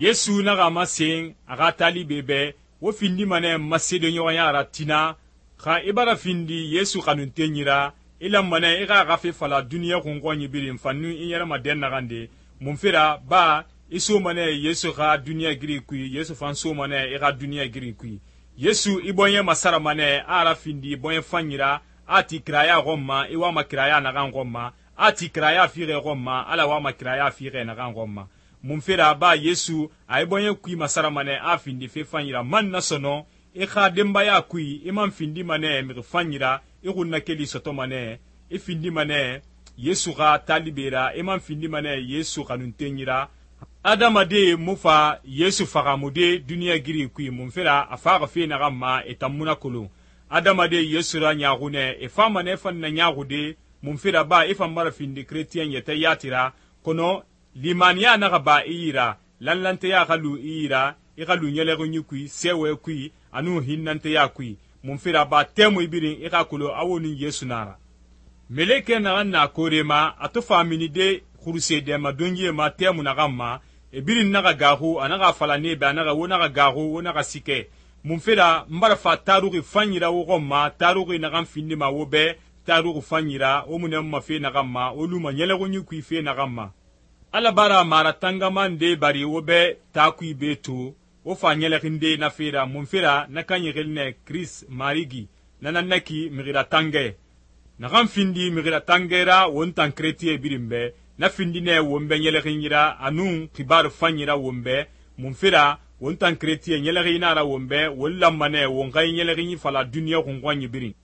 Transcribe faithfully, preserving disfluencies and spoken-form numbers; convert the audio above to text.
Yesu naxa masen a xa talibe bɛ wo findima nɛ masedoɲɔgɔnya ra tina xa i bara findi Yesu xanuntenyi ra i lanma nɛ i xa a xa fe fala duniɲa xunxɔnyi birin fan nun i ɲɛrɛma dɛnnaxande munfe ra ba i soma nɛ Yesu xa duniɲa giri kui Yesu fan soma nɛ i xa duniɲa giri kui. Yesu i bɔɲɛ masarama nɛ a a rafindi bɔɲɛ fanyi ra a ti kiraya xɔn ma i wama kiraya naxan xɔn ma a ti kiraya fixe xɔn ma ala wama kiraya fixe naxan xɔn ma. Munfe ra ba Yesu a i bɔɲɛ kui masarama nɛ a findi fe fanyi ra man na sɔnɔ i xa denbaya kui i man findima nɛ mixi fanyi ra i xunnakeli sɔtɔma nɛ i findima nɛ Yesu xa talibe ra i man findima nɛ Yesu xanuntenyi ra. Adamade mu fa Yesu fagamude duniɲa giri kui munfe ra a faxa fe naxan ma e tan mu na kolon. Adamade Yesu ra ɲaaxu nɛ e fama nɛ fan na ɲaaxude munfe ra ba i fan bara findi keretiyɛn yɛtɛ yati ra kɔnɔ limaniya naxa ba i yi ra lanlanteya xa lu i yi ra i xa lu ɲɛlɛxinyi kui sɛwɛ kui anu hinnanteya kui munfe ra ba tɛmui birin i xa kolon a wo nin Yesu na ra. Meleke naxan na koore ma a to fa minide xuruse dɛma donyie ma tɛmu naxan ma e birin naxa gaaxu a naxa fala nebe a naxa wo naxa gaaxu wo naxa sikɛ munfe ra n bara fa taruxi fanyi ra wo xɔn ma taruxi naxan findima wo bɛ taruxi fanyi ra wo mu nɛ ma fe naxan ma wo luma ɲɛlɛxinyi kui fe naxan ma. Ala bara mara tangama nde bari wo bɛ taa kui be to wo fa ɲɛlɛxinde na fe ra munfe ra na kan yixili nɛ Kiris Marigi na nan naki mixira tangɛ naxan findi mixira tangɛ ra won tan keretiye birin bɛ na findi nɛ won bɛ ɲɛlɛxinyi ra anun xibaru fanyi ra won bɛ munfe ra won tan keretiye ɲɛlɛxinyi na ra won bɛ won lanma nɛ won xa i ɲɛlɛxinyi fala duniɲa xunxɔnyi birin.